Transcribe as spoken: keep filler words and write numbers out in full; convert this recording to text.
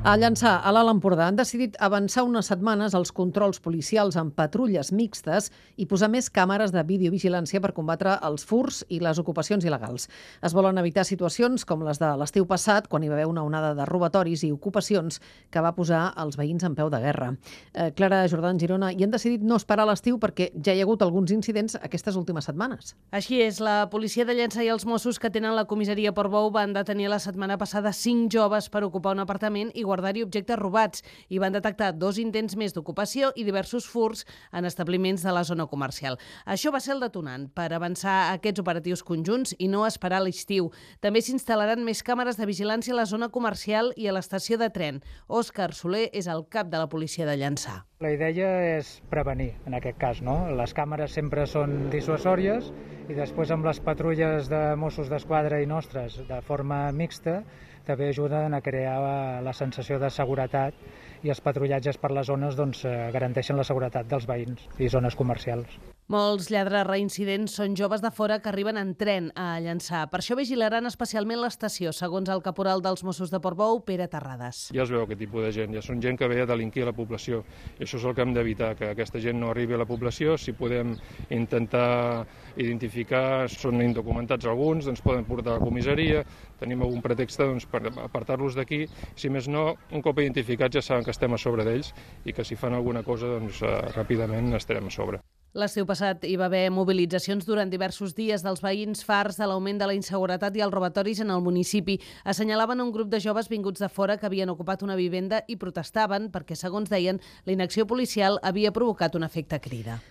A Llançà, a l'Alt Empordà, han decidit avançar unes setmanes els controls policials amb patrulles mixtes i posar més càmeres de videovigilància per combatre els furs i les ocupacions il·legals. Es volen evitar situacions com les de l'estiu passat, quan hi va haver una onada de robatoris i ocupacions que va posar els veïns en peu de guerra. Eh, Clara Jordan, Girona, i han decidit no esperar l'estiu perquè ja hi ha hagut alguns incidents aquestes últimes setmanes. Així és, la policia de Llançà i els Mossos que tenen la comissaria Portbou van detenir la setmana passada cinc joves per ocupar un apartament i guardar-hi objectes robats i van detectar dos intents més d'ocupació i diversos furts en establiments de la zona comercial. Això va ser el detonant per avançar aquests operatius conjunts i no esperar l'estiu. També s'instal·laran més càmeres de vigilància a la zona comercial i a l'estació de tren. Òscar Soler és el cap de la policia de Llançà. La idea és prevenir, en aquest cas, no? Les càmeres sempre són dissuasòries i després amb les patrulles de Mossos d'Esquadra i nostres de forma mixta també ajuden a crear la sensació de seguretat i els patrullatges per les zones doncs, garanteixen la seguretat dels veïns i zones comercials. Molts lladres reincidents són joves de fora que arriben en tren a Llançà. Per això vigilaran especialment l'estació, segons el caporal dels Mossos de Portbou, Pere Terrades. Ja es veu aquest tipus de gent, ja són gent que ve a delinquir a la població. I això és el que hem d'evitar, que aquesta gent no arribi a la població. Si podem intentar identificar, són indocumentats alguns, doncs poden portar a la comissaria, tenim algun pretext doncs, per apartar-los d'aquí. Si més no, un cop identificats ja saben que estem a sobre d'ells i que si fan alguna cosa doncs, ràpidament estarem a sobre. L'estiu passat hi va haver mobilitzacions durant diversos dies dels veïns farts de l'augment de la inseguretat i els robatoris en el municipi. Assenyalaven un grup de joves vinguts de fora que havien ocupat una vivenda i protestaven perquè, segons deien, la inacció policial havia provocat un efecte crida.